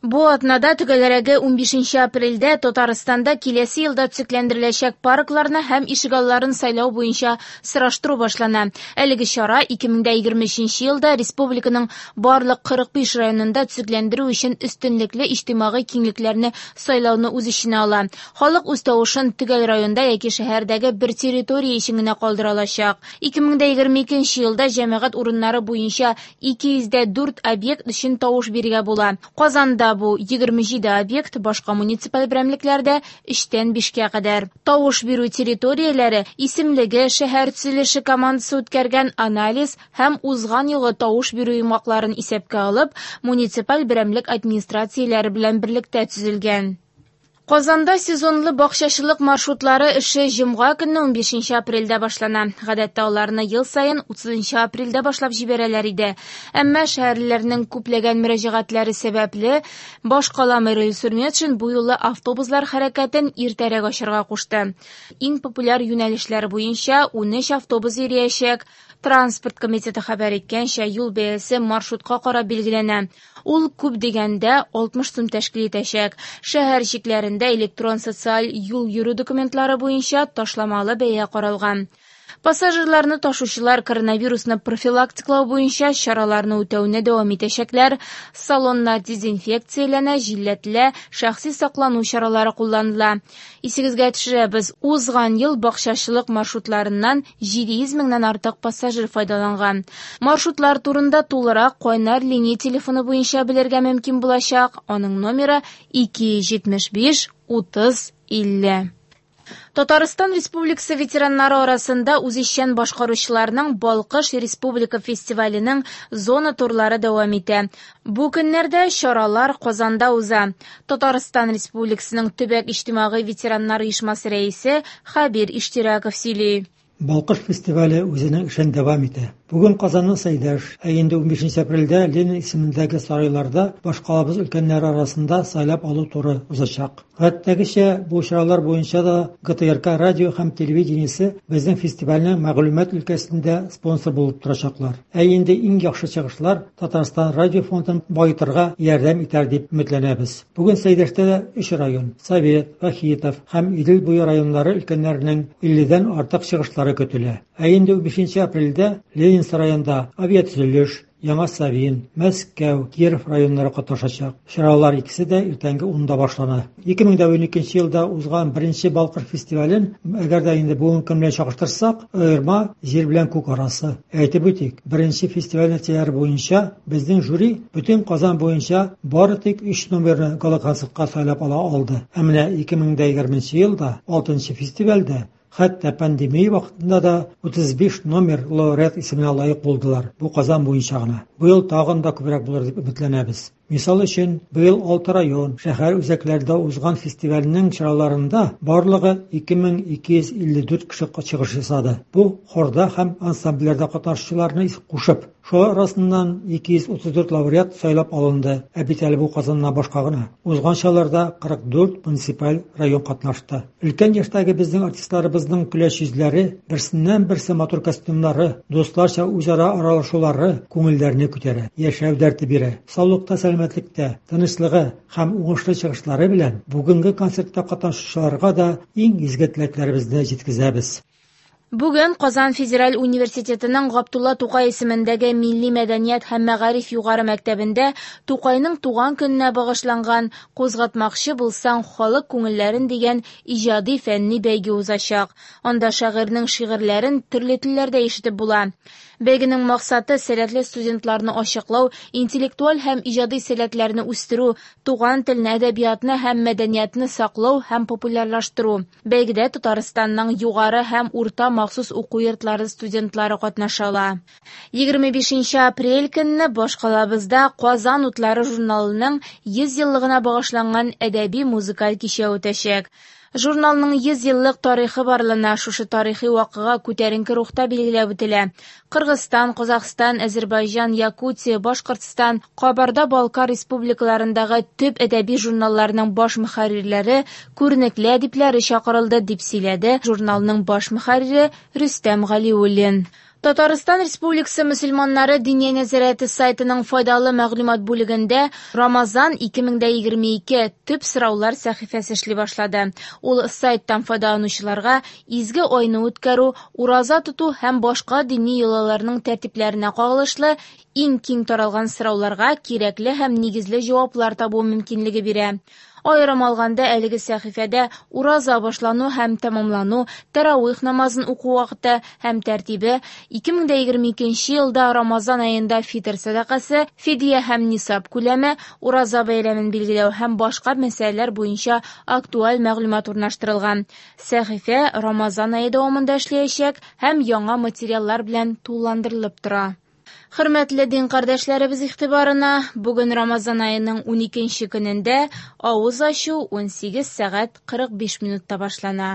Бу атнада, төгәлрәге 15 апрельдә, Татарстанда киләсе елда төзекләндереләчәк паркларны һәм ишегалларын сайлау буенча сораштыру башлана. Әлеге чара 2023 елда республиканың барлык 45 районында төзекләндерү өчен өстенлекле иҗтимагый киңлекләрне сайлауны үз эченә ала. Халык үз тавышын төгәл районда яки шәһәрдәге бер территория өчен генә калдыра алачак. 2022 елда җәмәгать урыннары буенча 204 объект өчен тавыш бирергә була. Казанда бу 27 объект, башка муниципаль берәмлекләрдә 3-тән 5-кә кадәр. Тавыш бирү территорияләре исемлеге шәһәр төзелеше командасы үткәргән анализ һәм узган елгы тавыш бирү йомгакларын исәпкә алып, муниципаль берәмлек администрацияләре белән берлектә төзелгән. Казанда сезонлы бакчачылык маршрутлары эше җомга көнне 15 апрельдә башлана. Гадәттә аларны ел саен 30 апрельдә башлап җибәрәләр иде. Әмма шәһәрлеләрнең күпләгән мөрәҗәгатьләре сәбәпле, башкала мэры Илсур Метшин бу юлы автобуслар хәрәкәтен иртәрәк ачарга кушты. Иң популяр юнәлешләр буенча 13 автобус йөриячәк. Транспорт комитеты хәбәр иткәнчә, юл бәясе маршрутка карап билгеләнә. Ул күп дигәндә 60 сум тәшкил итәчәк. Шәһәр чикләрендә электрон социаль юл йөрү документлары буенча ташламалы бәя каралган. Пассажирларны ташучылар коронавирусны профилактикалау буенча чараларны үтәүне дәвам итәчәкләр. Салоннар дезинфекцияләнә, җилләтелә, шәхси саклану чаралары кулланыла. Исегезгә төшерәбез, узган ел бакчачылык маршрутларыннан 700 меңнән артык пассажир файдаланган. Маршрутлар турында тулырак кайнар линия телефоны буенча белергә мөмкин булачак. Аның номеры 275 30 50. Татарстан Республикасы ветераннары арасында үзешчән башкаручыларның Балкыш республика фестиваленең зона турлары дәвам итә. Бу көннәрдә чаралар Казанда уза. Татарстан Республикасының төбәк иҗтимагый ветераннар оешмасы рәисе Хәбир Иштирәков сөйли. Балкыш фестивале үзенең эшен дәвам итә. Бүген Казанның Сәйдәш, ә инде 15 апрельдә Ленин исемендәге сарайларда башкалабыз өлкәннәре арасында сайлап алу туры узачак. Гадәттәгечә, бу чаралар буенча да ГТРК радио һәм телевидениесе безнең фестивальнең мәгълүмат өлкәсендә спонсор булып торачаклар. Ә инде иң яхшы чыгышлар Татарстан радио фондын баетырга ярдәм итәр дип өметләнәбез. Бүген Сәйдәштә дә өч район – Совет, Вахитов һәм Идел буе районнары өлкәннәренең 50дән артык чыгышлары көтелә. Ә инде 15 апрельдә Ленин сараенда авиатөзелеш, Яңа Савин, Мәскәү, Киров районнары катнашачак. Чаралар икесе дә иртәнге 10-да башлана. 2012 елда узган беренче Балкыш фестивален, әгәр дә инде бүгенге көн белән чагыштырсак, аерма җир белән күк арасы. Әйтеп үтик, беренче фестиваль нәтиҗәләре буенча безнең жюри бөтен Казан буенча бары тик 3 номерны гала-концертка сайлап ала алды. Ә менә 2020 елда 6 фестивальдә хәтта пандемия вакытында да 35 номер лауреат исеменә лаек булдылар. Бу Казан буенча гына. Быел тагын да күбрәк булыр дип өметләнәбез. Мисал өчен, быел 6 район, шәһәр үзәкләрендә узган фестивальнең чараларында барлыгы 2254 кеше чыгыш ясады. Бу хорда һәм ансамбльләрдә катнашучыларны кушып. Шулар арасыннан 234 лауреат сайлап алынды. Ә бит әле бу Казаннан башка гына. Узган чараларда 44 муниципаль район катнашты. Өлкән яшьтәге безнең артистларыбызның көләч йөзләре, берсеннән-берсе матур костюмнары, дусларча үзара аралашулары күңелләрне күтәрә, яшәү дәрте бирә. Саулыкта, сәламәтлектә, тынычлыгы һәм уңышлы чыгышлары белән бүгенге концертта катнашучыларга да иң изге теләкләребезне җиткезәбез. Бүген Казан федераль университетының Габдулла Тукай исемендәге Милли мәдәният һәм мәгариф югары мәктәбендә Тукайның туган көненә багышланган «Кузгатмакчы булсаң халык күңелләрен» дигән иҗади фәнни бәйге узачак. Анда шагыйрьнең шигырьләрен төрле телләрдә ишетеп була. Бәйгенең максаты сәләтле студентларны ачыклау, интеллектуаль һәм иҗади сәләтләрне үстерү, туган телне, әдәбиятны һәм мәдәниятне саклау һәм популярлаштыру. Бәйгедә Татарстанның югары һәм урта махсус уку йортлары студентлары катнаша ала. 25 апрель көнне башкалабызда Казан утлары журналының 100 еллыгына багышланган әдәби музыкаль кичә үтәчәк. Журналның 100 еллык тарихы барлана, шушы тарихи вакыйга күтәренке рухта билгеләп үтелә. Кыргызстан, Казахстан, Әзербайҗан, Якутия, Башкортстан, Кабарда-Балкар республикаларындагы төп әдәби журналларның баш мөхәррирләре, күренекле әдипләре чакырылды, дип сөйләде журналның баш мөхәррире Рөстәм Галиуллин. Татарстан Республикасы мөселманнары Диния нәзарәте сайтының файдалы мәгълүмат бүлегендә Рамазан 2022 төп сораулар сәхифәсе эшли башлады. Ул сайттан файдаланучыларга изге айны үткәрү, ураза тоту һәм башка дини йолаларның тәртипләренә кагылышлы иң киң таралган сорауларга кирәкле һәм нигезле җаваплар табу мөмкинлеге бирә. Аерым алганда, әлеге сәхифәдә ураза башлану һәм тәмамлану, тәравих намазын уку вакыты һәм тәртибе, 2022 елда Рамазан аенда фитыр сәдакасы, фидия һәм нисаб күләме, ураза бәйрәмен билгеләү һәм башка мәсьәләләр буенча актуаль мәгълүмат урнаштырылган. Сәхифә Рамазан ае дәвамында эшләячәк һәм яңа материаллар белән тулыландырылып тора. Хөрмәтле дин кардәшләребез игътибарына, бүген Рамазан аеның 12 нче көнендә авыз ачу 18 сәгать 45 минутта башлана.